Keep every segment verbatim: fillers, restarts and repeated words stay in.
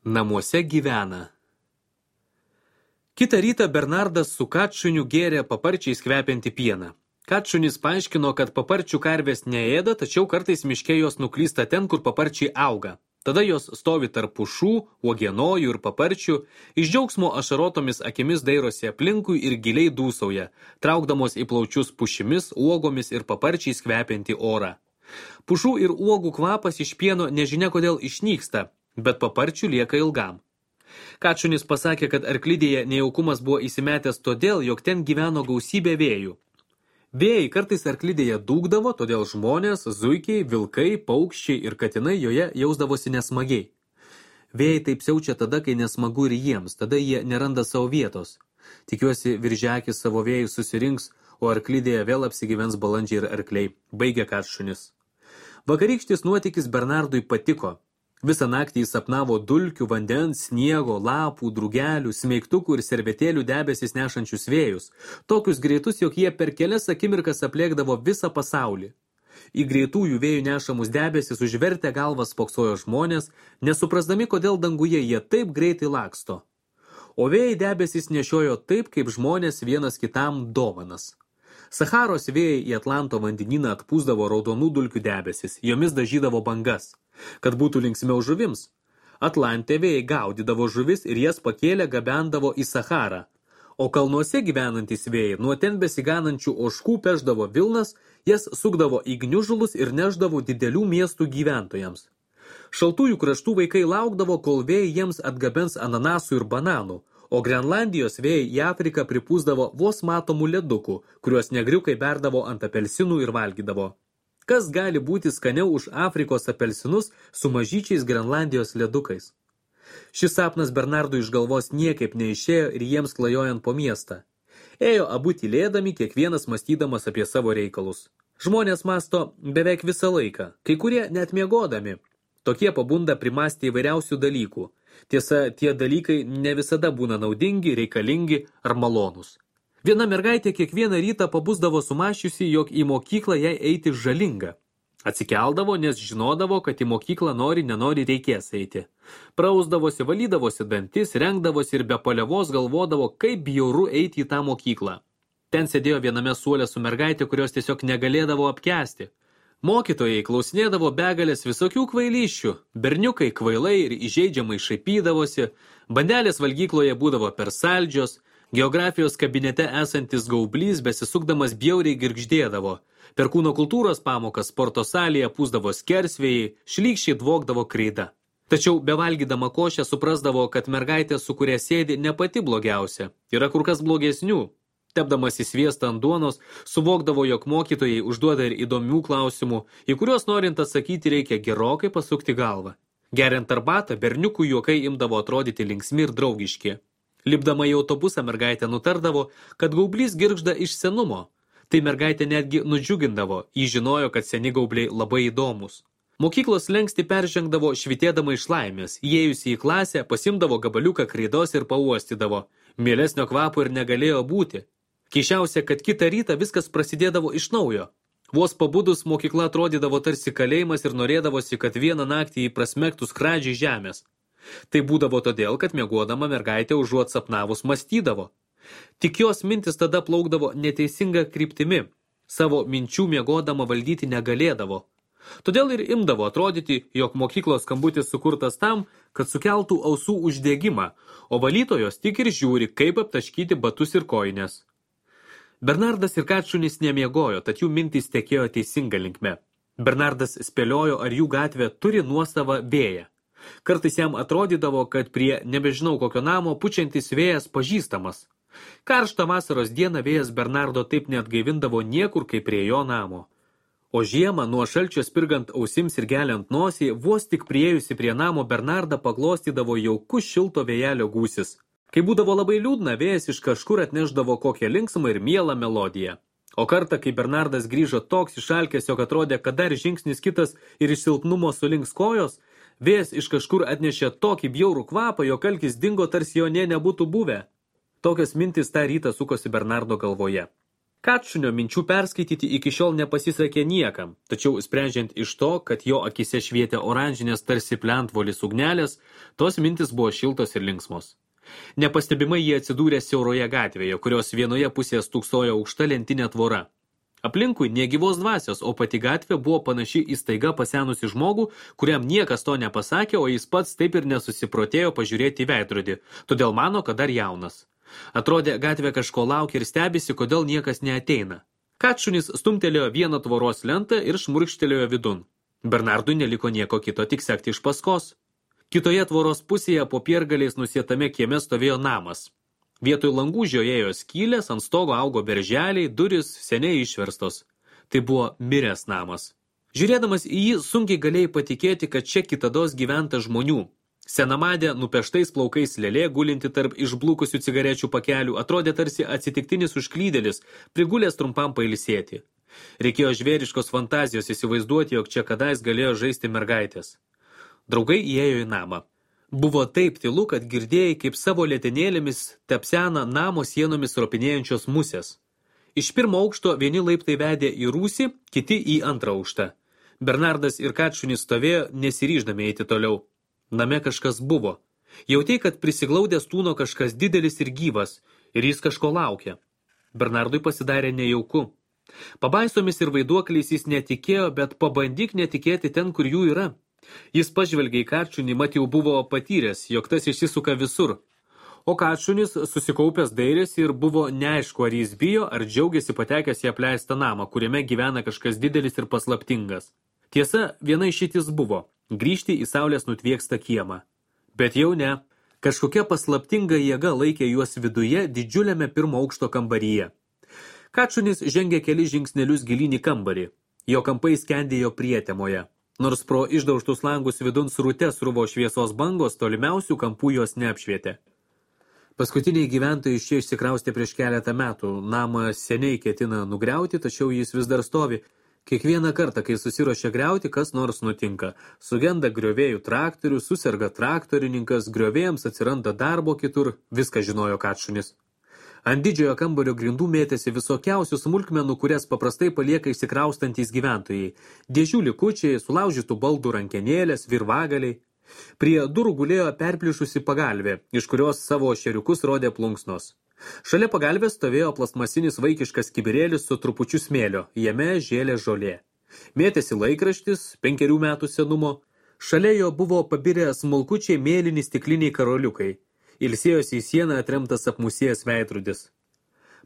Namuose gyvena. Kitą rytą Bernardas su Katšuniu gėrė paparčiais kvepiantį pieną. Katšunis paaiškino, kad paparčių karvės neėda, tačiau kartais miške jos nuklysta ten, kur paparčiai auga. Tada jos stovi tarp pušų, uogienojų ir paparčių, iš džiaugsmo ašarotomis akimis dairosi aplinkui ir giliai dūsauja, traukdamos į plaučius pušimis, uogomis ir paparčiais kvepiantį orą. Pušų ir uogų kvapas iš pieno nežinia kodėl išnyksta, bet paparčių lieka ilgam. Katšunis pasakė, kad arklidėje nejaukumas buvo įsimetęs todėl, jog ten gyveno gausybė vėjų. Vėjai kartais arklidėje dūgdavo, todėl žmonės, zuikiai, vilkai, paukščiai ir katinai joje jausdavosi nesmagiai. Vėjai taip siaučia tada, kai nesmagu ir jiems, tada jie neranda savo vietos. Tikiuosi, viržekis savo vėjų susirinks, o arklidėje vėl apsigyvens balandžiai ir arkliai, baigė Katšunis. Vakarykštis nuotykis Bernardui patiko. Visą naktį jis sapnavo dulkių, vandens, sniego, lapų, drugelių, smeigtukų ir servetėlių debesis nešančius vėjus, tokius greitus, jog jie per kelias akimirkas aplėkdavo visą pasaulį. Į greitųjų vėjų nešamus debesis užvertę galvas spoksojo žmonės, nesuprasdami, kodėl danguje jie taip greitai laksto. O vėjai debesis nešiojo taip, kaip žmonės vienas kitam dovanas. Sacharos vėjai į Atlanto vandenyną atpūsdavo raudonų dulkių debesis, jomis dažydavo bangas, kad būtų linksmiau žuvims. Atlante vėjai gaudydavo žuvis ir jas pakėlę gabendavo į Sacharą, o kalnuose gyvenantys vėjai nuo ten besiganančių ožkų pešdavo vilnas, jas sukdavo į gniužulus ir neždavo didelių miestų gyventojams. Šaltųjų kraštų vaikai laukdavo, kol vėjai jiems atgabens ananasų ir bananų, o Grenlandijos vėjai į Afriką pripūsdavo vos matomų ledukų, kuriuos negriukai berdavo ant apelsinų ir valgydavo. Kas gali būti skaniau už Afrikos apelsinus su mažyčiais Grenlandijos ledukais? Šis sapnas Bernardui iš galvos niekaip neišėjo ir jiems klajojant po miestą. Ėjo abu tylėdami, kiekvienas mąstydamas apie savo reikalus. Žmonės mąsto beveik visą laiką, kai kurie net miegodami. Tokie pabunda primąstė įvairiausių dalykų. Tiesa, tie dalykai ne visada būna naudingi, reikalingi ar malonūs. Viena mergaitė kiekvieną rytą pabusdavo sumašiusi, jog į mokyklą jai eiti žalinga. Atsikeldavo, nes žinodavo, kad į mokyklą nori, nenori reikės eiti. Prausdavosi, valydavosi dantis, rengdavosi ir be palievos galvodavo, kaip bjauru eiti į tą mokyklą. Ten sėdėjo viename suole su mergaitė, kurios tiesiog negalėdavo apkęsti. Mokytojai klausinėdavo begalės visokių kvailyščių, berniukai kvailai ir įžeidžiamai šaipydavosi, bandelės valgykloje būdavo per saldžios, geografijos kabinete esantis gaublys besisukdamas bjauriai girgždėdavo, per kūno kultūros pamokas sporto salėje pūsdavo skersvėjai, šlykščiai dvokdavo kreida. Tačiau bevalgydama košę suprasdavo, kad mergaitė, su kuria sėdi, ne pati blogiausia, yra kur kas blogesnių. Tepdamas į sviestą ant duonos, suvokdavo, jog mokytojai užduoda ir įdomių klausimų, į kuriuos norint atsakyti reikia gerokai pasukti galvą. Geriant arbatą, berniukų juokai imdavo atrodyti linksmi ir draugiški. Lipdama į autobusą mergaitė nutardavo, kad gaublys girgžda iš senumo. Tai mergaitė netgi nudžiugindavo, jį žinojo, kad seni gaubliai labai įdomus. Mokyklos slenkstį peržengdavo švitėdama iš laimės, įėjusi į klasę, pasimdavo gabaliuką kreidos ir pauostydavo. Mielesnio kvapo ir negalėjo būti. Keišiausia, kad kitą rytą viskas prasidėdavo iš naujo. Vos pabudus mokykla atrodydavo tarsi kalėjimas ir norėdavosi, kad vieną naktį jį prasmegtų skradžiai žemės. Tai būdavo todėl, kad miegodama mergaitė užuot sapnavus mąstydavo. Tik jos mintis tada plaukdavo neteisinga kryptimi. Savo minčių miegodama valdyti negalėdavo. Todėl ir imdavo atrodyti, jog mokyklos skambutis sukurtas tam, kad sukeltų ausų uždegimą, o valytojos tik ir žiūri, kaip aptaškyti batus ir kojines. Bernardas ir Katšunis nemiegojo, tad jų mintys tekėjo teisinga linkme. Bernardas spėliojo, ar jų gatvė turi nuosavą vėją. Kartais jam atrodydavo, kad prie nebežinau kokio namo pučiantis vėjas pažįstamas. Karštą vasaros dieną vėjas Bernardo taip neatgaivindavo niekur kaip prie jo namo. O žiemą, nuo šalčio spirgant ausims ir geliant nosį, vos tik priėjusi prie namo Bernardą paglostydavo jaukus šilto vėjelio gūsis. Kai būdavo labai liūdna, vėjas iš kažkur atnešdavo kokią linksmą ir mielą melodiją. O kartą, kai Bernardas grįžo toks išalkęs, jog atrodė, kad dar žingsnis kitas ir iš silpnumo sulinks kojos, vėjas iš kažkur atnešė tokį bjaurų kvapą, jog alkis dingo, tarsi jo nė nebūtų buvę. Tokios mintys tą rytą sukosi Bernardo galvoje. Katšunio minčių perskaityti iki šiol nepasisekė niekam, tačiau sprendžiant iš to, kad jo akise švietė oranžinės tarsi plentvolis ugnelės, tos mintis buvo šiltos ir linksmos. Nepastebimai jie atsidūrė siauroje gatvėje, kurios vienoje pusėje stūksojo aukšta lentinė tvora. Aplinkui negyvos dvasios, o pati gatvė buvo panaši į staiga pasenusi žmogų, kuriam niekas to nepasakė, o jis pats taip ir nesusiprotėjo pažiūrėti į veidrodį, todėl mano, kad dar jaunas. Atrodė, gatvė kažko laukia ir stebisi, kodėl niekas neateina. Katšunis stumtelėjo vieną tvoros lentą ir šmurkštelėjo vidun. Bernardui neliko nieko kito, tik sekti iš paskos. Kitoje tvoros pusėje po piergaliais nusietame kieme stovėjo namas. Vietoj langų žiojėjo skylės, ant stogo augo berželiai, durys seniai išverstos. Tai buvo miręs namas. Žiūrėdamas į jį, sunkiai galėjai patikėti, kad čia kitados gyventa žmonių. Senamadė, nupeštais plaukais lėlė, gulinti tarp išblukusių cigarečių pakelių, atrodė tarsi atsitiktinis užklydėlis, prigulęs trumpam pailsėti. Reikėjo žvėriškos fantazijos įsivaizduoti, jog čia kadais galėjo žaisti mergaitės. Draugai įėjo į namą. Buvo taip tylu, kad girdėjai, kaip savo lėtenėlėmis tepsena namo sienomis ropinėjančios musės. Iš pirmo aukšto vieni laiptai vedė į rūsį, kiti į antrą aukštą. Bernardas ir Katšunis stovėjo, nesiryždami eiti toliau. Name kažkas buvo. Jautei, kad prisiglaudęs tūno kažkas didelis ir gyvas, ir jis kažko laukia. Bernardui pasidarė nejauku. Pabaisomis ir vaiduokliais jis netikėjo, bet pabandyk netikėti ten, kur jų yra. Jis pažvelgė į Katšunį, mat jau buvo patyręs, jog tas išsisuka visur. O Katšunis susikaupęs dairėsi ir buvo neaišku, ar jis bijo, ar džiaugiasi patekęs į apleistą namą, kuriame gyvena kažkas didelis ir paslaptingas. Tiesa, viena išeitis buvo – grįžti į saulės nutviekstą kiemą. Bet jau ne. Kažkokia paslaptinga jėga laikė juos viduje didžiuliame pirmo aukšto kambaryje. Katšunis žengė keli žingsnelius gilyn į kambarį. Jo kampai skendėjo prietemoje. Nors pro išdaužtus langus vidun srute sruvo šviesos bangos, tolimiausių kampų jos neapšvietė. Paskutiniai gyventojai iš čia išsikraustė prieš keletą metų. Namą seniai ketina nugriauti, tačiau jis vis dar stovi. Kiekvieną kartą, kai susiruošia griauti, kas nors nutinka. Sugenda griovėjų traktorių, suserga traktorininkas, griovėjams atsiranda darbo kitur, viską žinojo Katšunis. Ant didžiojo kambario grindų mėtėsi visokiausių smulkmenų, kurias paprastai palieka išsikraustantys gyventojai. Dėžių likučiai, sulaužytų baldų rankenėlės, virvagaliai. Prie durų gulėjo perplyšusi pagalvė, iš kurios savo šeriukus rodė plunksnos. Šalia pagalvės stovėjo plastmasinis vaikiškas kibirėlis su trupučiu smėlio, jame žėlė žolė. Mėtėsi laikraštis, penkerių metų senumo, šalia jo buvo pabirę smulkučiai mėlyni stikliniai karoliukai, ilsėjosi į sieną atremtas apmusėjęs veidrodis.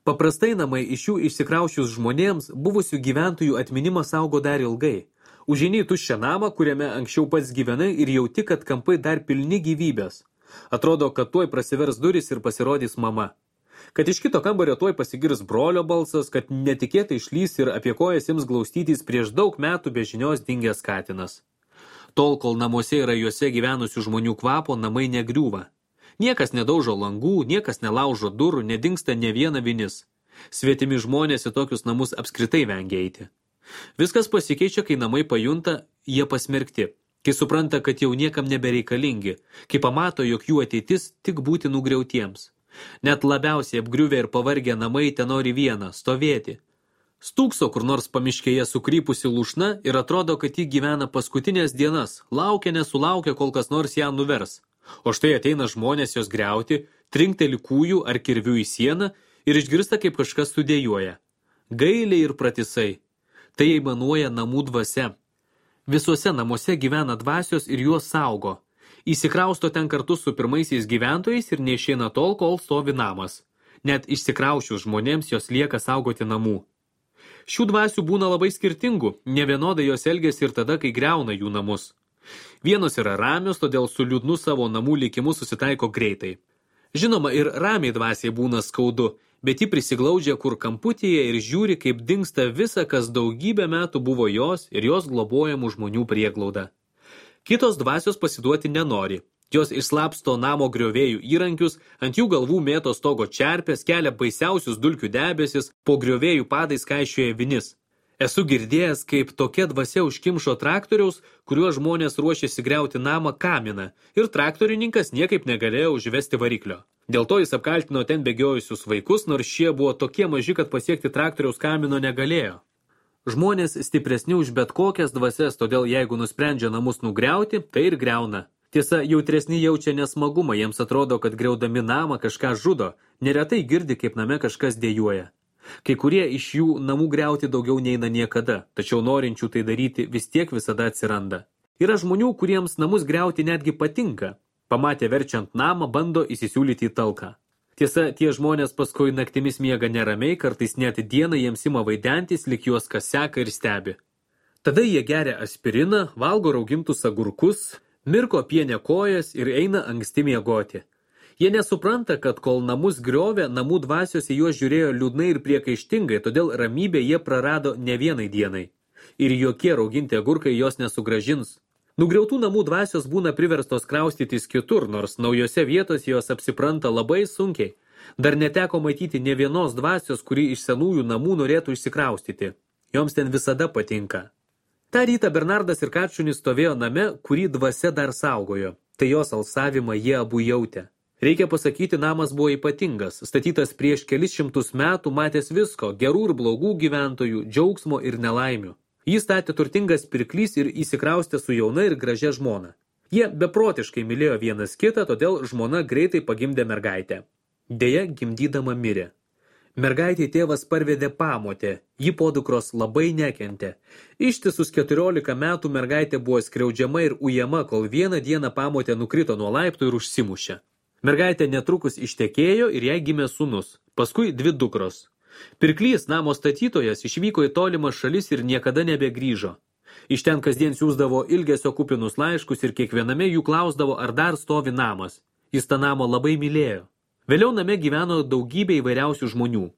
Paprastai namai iš jų išsikraušius žmonėms buvusių gyventojų atminimą saugo dar ilgai. Užeini į tuščią namą, kuriame anksčiau pats gyvenai ir jauti, kad kampai dar pilni gyvybės. Atrodo, kad tuoj prasivers duris ir pasirodys mama. Kad iš kito kambario tuoj pasigirs brolio balsas, kad netikėtai išlys ir apie kojas ims glaustytis prieš daug metų be žinios dingęs katinas. Tol, kol namuose yra juose gyvenusių žmonių kvapo, namai negriūva. Niekas nedaužo langų, niekas nelaužo durų, nedingsta ne viena vinis. Svetimi žmonės į tokius namus apskritai vengia eiti. Viskas pasikeičia, kai namai pajunta, jie pasmerkti, kai supranta, kad jau niekam nebereikalingi, kai pamato, jog jų ateitis tik būti nugriautiems. Net labiausiai apgriuvę ir pavargę namai tenori vieną – stovėti. Stūkso kur nors pamiškėje sukrypusi lūšna ir atrodo, kad ji gyvena paskutinės dienas, laukia nesulaukia, kol kas nors ją nuvers. O štai ateina žmonės jos griauti, trinkteli kūjų ar kirvių į sieną ir išgirsta, kaip kažkas sudėjuoja. Gailiai ir pratisai. Tai aimanuoja namų dvasia. Visuose namuose gyvena dvasios ir juos saugo. Įsikrausto ten kartu su pirmaisiais gyventojais ir neišeina tol, kol stovi namas. Net išsikraušius žmonėms jos lieka saugoti namų. Šių dvasių būna labai skirtingų, nevienodai jos elgiasi ir tada, kai griauna jų namus. Vienos yra ramios, todėl su liūdnu savo namų likimu susitaiko greitai. Žinoma, ir ramiai dvasiai būna skaudu, bet ji prisiglaudžia kur kamputyje ir žiūri, kaip dingsta visa, kas daugybę metų buvo jos ir jos globojamų žmonių prieglauda. Kitos dvasios pasiduoti nenori. Jos išslapsto namo griovėjų įrankius, ant jų galvų mėto stogo čerpės, kelia baisiausius dulkių debesis, po griovėjų padais kaišioja vinis. Esu girdėjęs, kaip tokia dvasia užkimšo traktoriaus, kuriuo žmonės ruošėsi griauti namą kaminą, ir traktorininkas niekaip negalėjo užvesti variklio. Dėl to jis apkaltino ten bėgiojusius vaikus, nors šie buvo tokie maži, kad pasiekti traktoriaus kamino negalėjo. Žmonės stipresni už bet kokias dvasias, todėl jeigu nusprendžia namus nugriauti, tai ir griauna. Tiesa, jautresni jaučia nesmagumą, jiems atrodo, kad griaudami namą kažką žudo, neretai girdi, kaip name kažkas dėjuoja. Kai kurie iš jų namų griauti daugiau neina niekada, tačiau norinčių tai daryti vis tiek visada atsiranda. Yra žmonių, kuriems namus griauti netgi patinka. Pamatę verčiant namą, bando įsisiūlyti į talką. Tiesa, tie žmonės paskui naktimis miega neramiai, kartais net dieną jiems ima vaidentis, lyg juos kas seka ir stebi. Tada jie geria aspiriną, valgo raugintus agurkus, mirko pienę kojas ir eina anksti miegoti. Jie nesupranta, kad kol namus griovė, namų dvasios į juos žiūrėjo liūdnai ir priekaištingai, todėl ramybę jie prarado ne vienai dienai. Ir jokie rauginti agurkai jos nesugražins. Nugriautų namų dvasios būna priverstos kraustytis kitur, nors naujose vietose jos apsipranta labai sunkiai. Dar neteko matyti ne vienos dvasios, kuri iš senųjų namų norėtų išsikraustyti. Joms ten visada patinka. Ta rytą Bernardas ir Kačunis stovėjo name, kurį dvasia dar saugojo. Tai jos alsavimą jie abu jautė. Reikia pasakyti, namas buvo ypatingas, statytas prieš kelis šimtus metų, matęs visko, gerų ir blogų gyventojų, džiaugsmo ir nelaimių. Jį statė turtingas pirklys ir įsikraustė su jauna ir gražia žmona. Jie beprotiškai mylėjo vienas kitą, todėl žmona greitai pagimdė mergaitę. Deja, gimdydama mirė. Mergaitė tėvas parvedė pamotę, ji podukros labai nekentė. Ištisus keturiolika metų mergaitė buvo skriaudžiama ir ujama, kol vieną dieną pamotė nukrito nuo laiptų ir užsimušė. Mergaitė netrukus ištekėjo ir jai gimė sūnus, paskui dvi dukros. Pirklys, namo statytojas, išvyko į tolimas šalis ir niekada nebegrįžo. Iš ten kasdien siųsdavo ilgesio kupinus laiškus ir kiekviename jų klausdavo, ar dar stovi namas. Jis tą namą labai mylėjo. Vėliau name gyveno daugybė įvairiausių žmonių.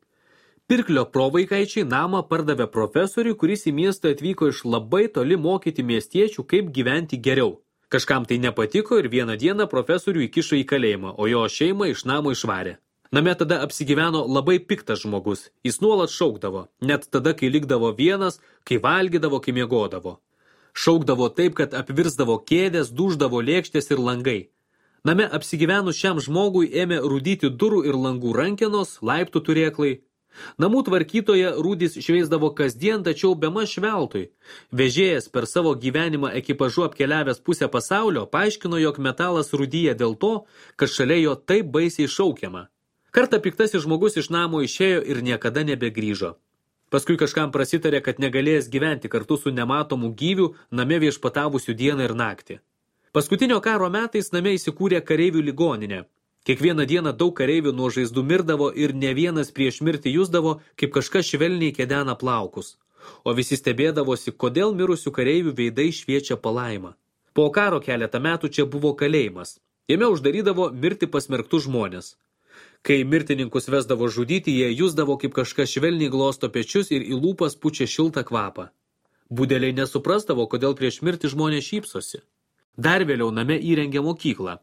Pirklio provaikaičiai namą pardavė profesoriui, kuris į miestą atvyko iš labai toli mokyti miestiečių, kaip gyventi geriau. Kažkam tai nepatiko ir vieną dieną profesorių įkišo į kalėjimą, o jo šeimą iš namo išvarė. Name tada apsigyveno labai piktas žmogus. Jis nuolat šaukdavo, net tada, kai likdavo vienas, kai valgydavo, kai miegodavo. Šaukdavo taip, kad apvirsdavo kėdės, duždavo lėkštės ir langai. Name apsigyvenus šiam žmogui ėmė rūdyti durų ir langų rankenos, laiptų turėklai. Namų tvarkytoje rūdis šveisdavo kasdien, tačiau bemaž veltui. Vežėjas per savo gyvenimą ekipažu apkeliavęs pusę pasaulio paaiškino, jog metalas rūdyja dėl to, kad šalia jo taip baisiai šaukiama. Kartą piktasis žmogus iš namo išėjo ir niekada nebegrįžo. Paskui kažkam prasitarė, kad negalėjęs gyventi kartu su nematomu gyviu name viešpatavusių dieną ir naktį. Paskutinio karo metais name įsikūrė kareivių ligoninė. Kiekvieną dieną daug kareivių nuo žaizdų mirdavo ir ne vienas prieš mirtį jusdavo, kaip kažkas švelniai kedena plaukus. O visi stebėdavosi, kodėl mirusių kareivių veidai šviečia palaimą. Po karo keletą metų čia buvo kalėjimas. Jame uždarydavo mirti pasmerktų žmonės. Kai mirtininkus vesdavo žudyti, jie jusdavo, kaip kažkas švelniai glosto pečius ir į lūpas pučia šiltą kvapą. Budeliai nesuprasdavo, kodėl prieš mirtį žmonės šypsosi. Dar vėliau name įrengė mokyklą.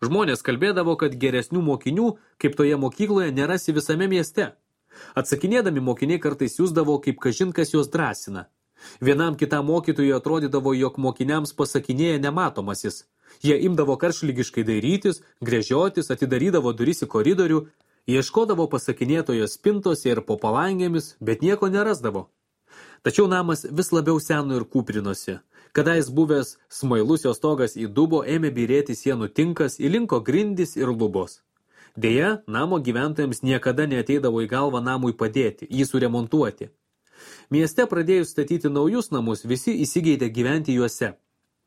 Žmonės kalbėdavo, kad geresnių mokinių, kaip toje mokykloje, nerasi visame mieste. Atsakinėdami mokiniai kartais jusdavo, kaip kažin kas juos drąsina. Vienam kitam mokytojui atrodydavo, jog mokiniams pasakinėja nematomasis. Jie imdavo karšlygiškai dairytis, gręžiotis, atidarydavo duris į koridorių, ieškodavo pasakinėtojo spintose ir po palangėmis, bet nieko nerasdavo. Tačiau namas vis labiau seno ir kūprinosi. Kadais buvęs smailus jo stogas į dubo ėmė byrėti sienų tinkas, įlinko grindys ir lubos. Deja, namo gyventojams niekada neateidavo į galvą namui padėti, jį suremontuoti. Mieste pradėjus statyti naujus namus, visi įsigeidė gyventi juose.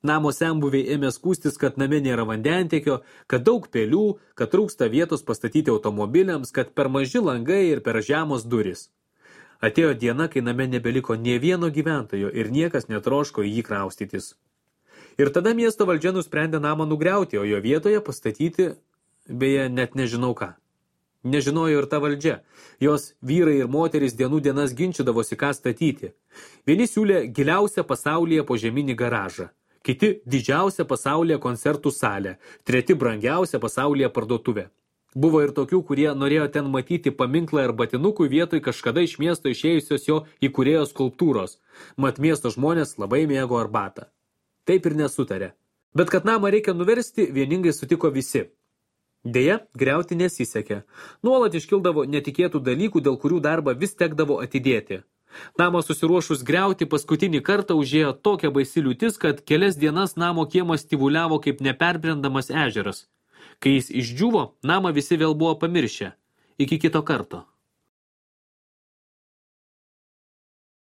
Namo senbuviai ėmė skųstis, kad name nėra vandentiekio, kad daug pelių, kad trūksta vietos pastatyti automobiliams, kad per maži langai ir per žemos durys. Atėjo diena, kai name nebeliko nė vieno gyventojo ir niekas netroško į jį kraustytis. Ir tada miesto valdžia nusprendė namą nugriauti, o jo vietoje pastatyti, beje, net nežinau ką. Nežinojo ir ta valdžia. Jos vyrai ir moterys dienų dienas ginčydavosi, ką statyti. Vieni siūlė giliausią pasaulyje požeminį garažą. Kiti didžiausią pasaulyje koncertų salę, treti brangiausią pasaulyje parduotuvę. Buvo ir tokių, kurie norėjo ten matyti paminklą ir batinukų vietoj kažkada iš miesto išėjusios jo įkūrėjo skulptūros. Mat miesto žmonės labai mėgo arbatą. Taip ir nesutarė. Bet kad namą reikia nuversti, vieningai sutiko visi. Deja, griauti nesisekė. Nuolat iškildavo netikėtų dalykų, dėl kurių darbą vis tekdavo atidėti. Namą susiruošus griauti paskutinį kartą užėjo tokia baisi liūtis, kad kelias dienas namo kiemas tyvuliavo kaip neperbrendamas ežeras. Kai jis išdžiuvo, namą visi vėl buvo pamiršę. Iki kito karto.